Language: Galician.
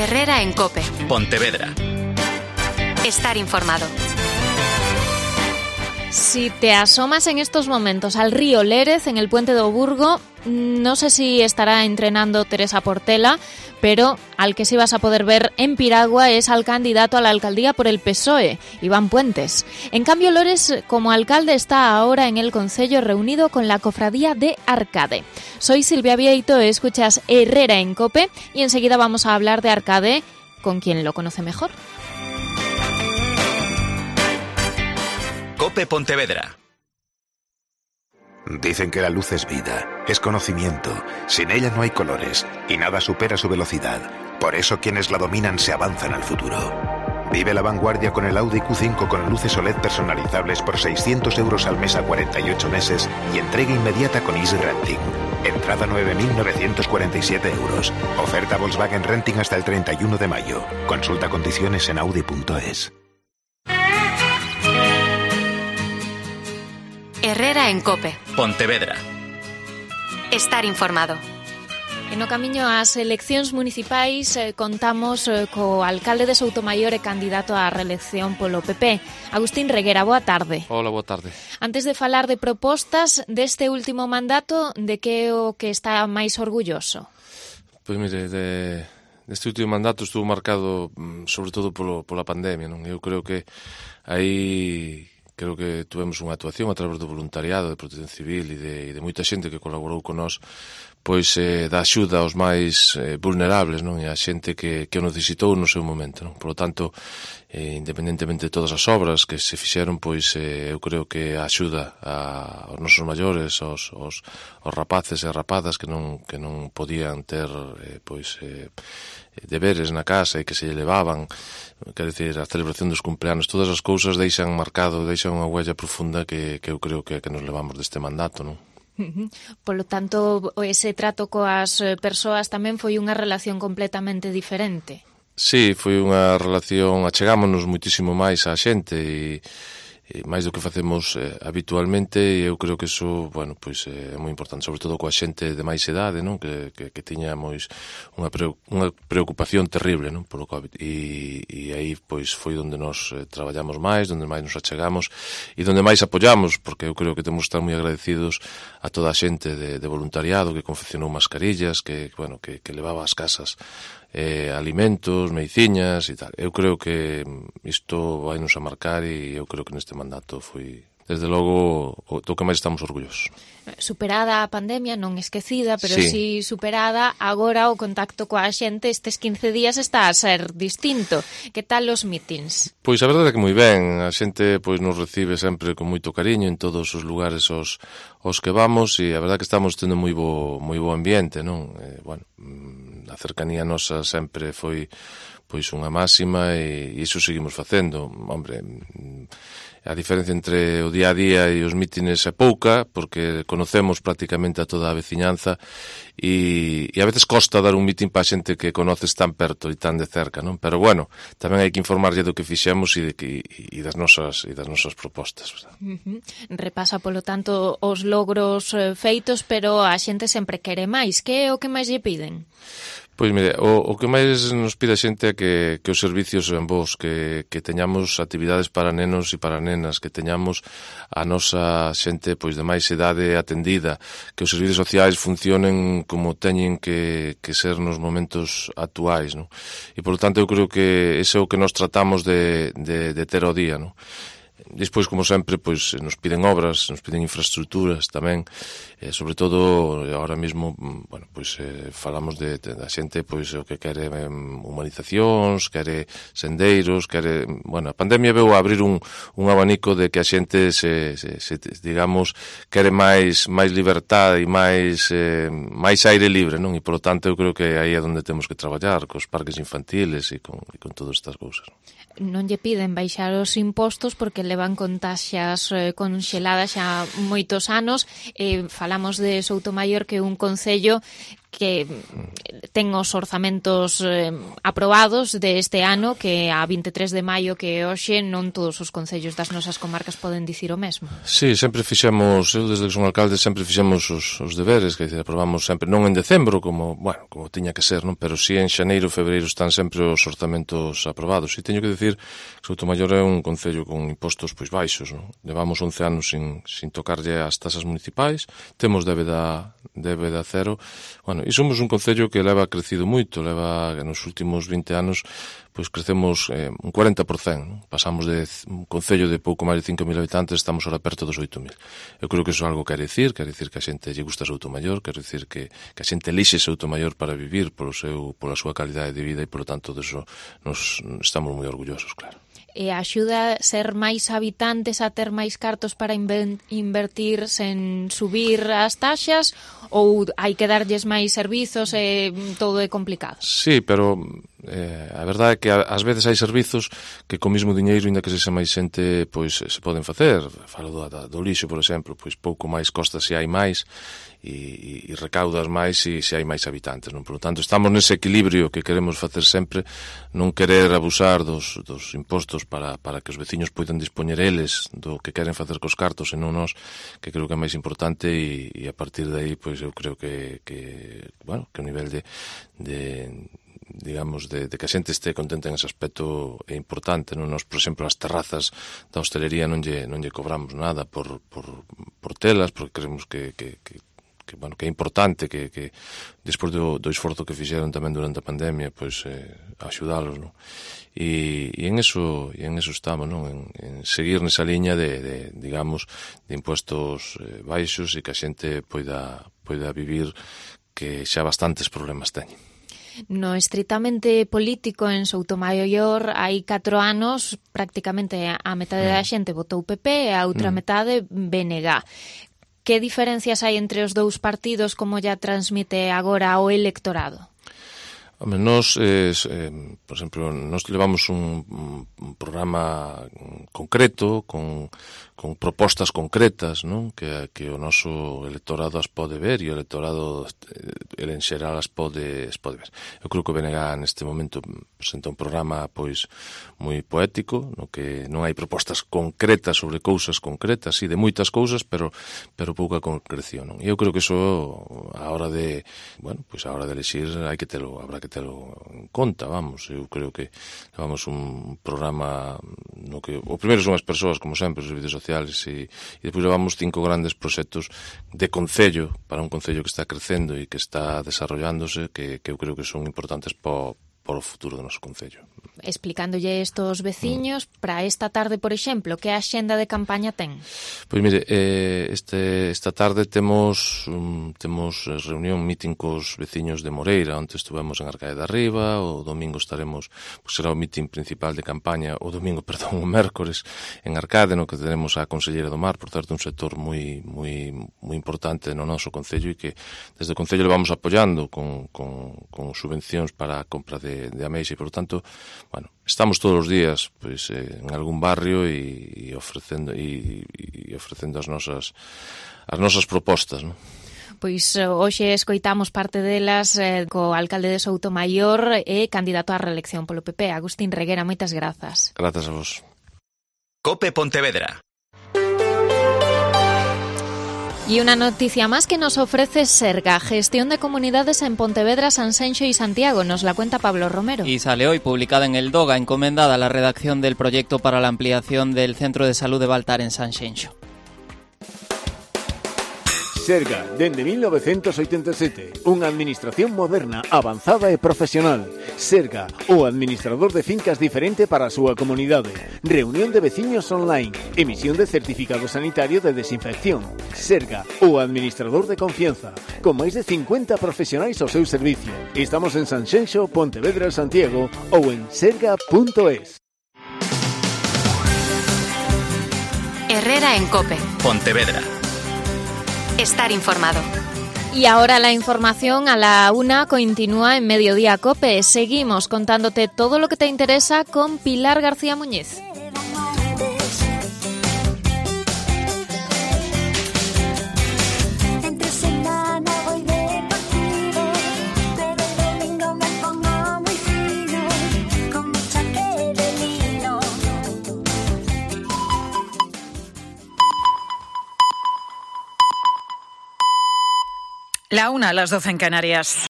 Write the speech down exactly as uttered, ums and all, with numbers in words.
Herrera en COPE. Pontevedra. Estar informado. Si te asomas en estos momentos al río Lérez, en el puente do Burgo, no sé si estará entrenando Teresa Portela, pero al que sí vas a poder ver en piragua es al candidato a la alcaldía por el P S O E, Iván Puentes. En cambio, Lores, como alcalde, está ahora en el concello reunido con la cofradía de Arcade. Soy Silvia Vieito, escuchas Herrera en COPE y enseguida vamos a hablar de Arcade con quien lo conoce mejor. COPE Pontevedra. Dicen que la luz es vida, es conocimiento. Sin ella no hay colores y nada supera su velocidad. Por eso quienes la dominan se avanzan al futuro. Vive la vanguardia con el Audi Q cinco con luces O L E D personalizables por seiscientos euros al mes a cuarenta y ocho meses y entrega inmediata con Easy Renting. Entrada nueve mil novecientos cuarenta y siete euros. Oferta Volkswagen Renting hasta el treinta y uno de mayo. Consulta condiciones en audi punto es. Herrera en COPE. Pontevedra. Estar informado. E no camiño ás eleccións municipais eh, contamos eh, co alcalde de Soutomaior e candidato á reelección polo P P, Agustín Reguera. Boa tarde. Hola, boa tarde. Antes de falar de propostas deste último mandato, de que é o que está máis orgulloso? Pois mire, de, deste último mandato estuvo marcado sobre todo polo, pola pandemia, non? Eu creo que aí... Creo que tuvemos unha actuación a través do voluntariado, de Protección Civil e de, e de moita xente que colaborou con nós, pois eh, da axuda aos máis eh, vulnerables, non? E a xente que, que o necesitou no seu momento, non? Por lo tanto, eh, independentemente de todas as obras que se fixeron, pois eh, eu creo que a axuda a, aos nosos maiores, aos, aos, aos rapaces e rapadas que non, que non podían ter eh, pois eh, deberes na casa e que se lle levaban, quer dizer, a celebración dos cumpleanos, todas as cousas deixan marcado, deixan unha huella profunda que, que eu creo que, que nos levamos deste mandato, non? Polo tanto, ese trato coas persoas tamén foi unha relación completamente diferente. Sí, foi unha relación, achegámonos muitísimo máis á xente e, e máis do que facemos eh, habitualmente, e eu creo que iso, bueno, pois é moi importante, sobre todo coa xente de máis idade, non? Que, que, que tiñamos unha, pre, unha preocupación terrible, non? Polo COVID, e, e aí pois foi onde nos eh, traballamos máis, onde máis nos achegamos e onde máis apoyamos, porque eu creo que temos que estar moi agradecidos a toda a xente de, de voluntariado que confeccionou mascarillas, que, bueno, que, que levaba ás casas eh, alimentos, mediciñas e tal. Eu creo que isto vai nos a marcar e eu creo que neste mandato foi, desde logo, o do que máis estamos orgullosos. Superada a pandemia, non esquecida, pero sí. si superada, agora o contacto coa xente estes quince días está a ser distinto. Que tal os mítins? Pois a verdade é que moi ben, a xente pois nos recibe sempre con moito cariño en todos os lugares aos, aos que vamos, e a verdade é que estamos tendo moi bo, moi bo ambiente, non? Eh, bueno, a cercanía nosa sempre foi pois unha máxima e, e iso seguimos facendo. Hombre, a diferencia entre o día a día e os mítines é pouca, porque conocemos prácticamente a toda a veciñanza e, e a veces costa dar un mítin para a xente que conoces tan perto e tan de cerca, non? Pero bueno, tamén hai que informarlle do que fixemos e, de que, e, das, nosas, e das nosas propostas, verdad? Uh-huh. Repasa, polo tanto, os logros eh, feitos, pero a xente sempre quere máis. Que é o que máis lle piden? Pois mire, o, o que máis nos pide a xente é que, que os servicios sean bons, que, que teñamos actividades para nenos e para nenas, que teñamos a nosa xente pois de máis idade atendida, que os servicios sociais funcionen como teñen que, que ser nos momentos actuais, non? E, por lo tanto, eu creo que ese é o que nos tratamos de, de, de ter ao día, non? Despois, como sempre, pois nos piden obras, nos piden infraestructuras tamén, eh, sobre todo, ahora mesmo, bueno, pois eh, falamos de, de, da xente, pois o que quere eh, humanizacións, quere sendeiros, quere, bueno, a pandemia veu a abrir un, un abanico de que a xente se, se, se digamos, quere máis máis libertade e máis eh, máis aire libre, non? E, por lo tanto, eu creo que aí é onde temos que traballar, cos parques infantiles e con, e con todas estas cousas. Non lle piden baixar os impostos porque levan con taxas eh, conxeladas xa moitos anos. Eh, falamos de Soutomaior, que é un concello que ten os orzamentos eh, aprobados de este ano, que a vinte e tres de maio que hoxe non todos os concellos das nosas comarcas poden dicir o mesmo. Sí, sempre fixemos, eu desde que son alcalde sempre fixemos os, os deberes, que dizer, aprobamos sempre, non en decembro, como, bueno, como tiña que ser, non? Pero si en xaneiro, febreiro están sempre os orzamentos aprobados. E teño que dicir que Soutomaior é un concello con impostos pois baixos, non? Levamos once anos sin, sin tocarlle as tasas municipais, temos débeda, débeda cero, bueno, e somos un concello que leva crecido moito, leva nos últimos vinte anos pois crecemos eh, un cuarenta por cento, non? Pasamos de un concello de pouco máis de cinco mil habitantes, estamos ahora perto dos oito mil. Eu creo que iso algo quere dicir, quere dicir que a xente lle gusta Soutomaior, quere dicir que, que a xente elixe Soutomaior para vivir polo seu, pola súa calidade de vida e, polo tanto, deso nos estamos moi orgullosos, claro. E axuda ser máis habitantes a ter máis cartos para invertir sen subir as taxas, ou hai que darlles máis servizos e todo é complicado? Sí, pero eh, a verdade é que ás veces hai servizos que co mismo diñeiro, inda que sexa máis xente, pois se poden facer. Falo do, do lixo, por exemplo, pois pouco máis costa se hai máis e, e recaudas máis se, se hai máis habitantes, non? Por lo tanto, estamos nese equilibrio que queremos facer sempre, non querer abusar dos, dos impostos para, para que os veciños poidan dispoñer eles do que queren facer cos cartos e non nós, que creo que é máis importante, e, e a partir de aí, pois eu creo que, que bueno, que o nivel de, de digamos, de, de que a xente este contenta en ese aspecto é importante, non? Nos, por exemplo, as terrazas da hostelería non lle, non lle cobramos nada por, por, por telas, porque creemos que, que, que que, bueno, que é importante que, que despois do, do esforzo que fixeron tamén durante a pandemia, pois eh, axudalos, non? E, e en eso e en eso estamos, non? En, en seguir nesa liña de, de digamos, de impuestos eh, baixos e que a xente poida poida vivir, que xa bastantes problemas teñen. No estritamente político en Soutomaior hai catro anos prácticamente a metade mm. da xente votou P P e a outra mm. metade B N G. Que diferencias hai entre os dous partidos, como ya transmite agora o electorado? Home, nos, eh, eh, por exemplo, nos levamos un, un programa concreto, con, con propostas concretas, non? Que, que o noso electorado as pode ver e o electorado el en xeral as pode, as pode ver. Eu creo que o B N G neste momento presenta un programa pois moi poético, no que non hai propostas concretas sobre cousas concretas, sí, de moitas cousas, pero pero pouca concreción, non? E eu creo que iso a hora de, bueno, pois a hora de elegir hai que telo, habrá que telo en conta, vamos. Eu creo que levamos un programa no que o primeiro son as persoas, como sempre, os servicios sociales, e, e depois levamos cinco grandes proxectos de concello, para un concello que está crecendo e que está desarrollándose, que, que eu creo que son importantes para para o futuro do noso concello. Explicándolle isto aos veciños, mm. para esta tarde, por exemplo, que axenda de campaña ten? Pois mire, eh, este, esta tarde temos um, temos reunión, meeting cos veciños de Moreira, onde estuvemos en Arcaia de Arriba, o domingo estaremos, pois será o meeting principal de campaña, o domingo, perdón, o mércores, en Arcade, no que tenemos a Conselleira do Mar, por certo, un sector moi moi moi importante no noso concello, e que desde o concello le vamos apoiando con, con, con subvencións para a compra de de, de ameixa, e, por tanto, bueno, estamos todos os días pois, eh, en algún barrio e, e ofrecendo e, e ofrecendo as nosas as nosas propostas, non? Pois hoxe escoitamos parte delas eh, co alcalde de Soutomaior e candidato á reelección polo P P, Agustín Reguera. Moitas grazas. Grazas a vos. Cope Pontevedra. Y una noticia más que nos ofrece Serga, gestión de comunidades en Pontevedra, Sanxenxo y Santiago. Nos la cuenta Pablo Romero. Y sale hoy publicada en el Doga, encomendada a la redacción del proyecto para la ampliación del Centro de Salud de Baltar en Sanxenxo. Serga, dende mil novecientos oitenta e sete, unha administración moderna, avanzada e profesional. Serga, o administrador de fincas diferente para a súa comunidade. Reunión de veciños online, emisión de certificado sanitario de desinfección. Serga, o administrador de confianza, con máis de cincuenta profesionais ao seu servicio. Estamos en Sanxenxo, Pontevedra, Santiago ou en serga punto es. Herrera en Cope. Pontevedra. Estar informado. Y ahora la información a la una continúa en Mediodía Cope. Seguimos contándote todo lo que te interesa con Pilar García Muñiz. Entre semana voy de partido. La una a las doce en Canarias.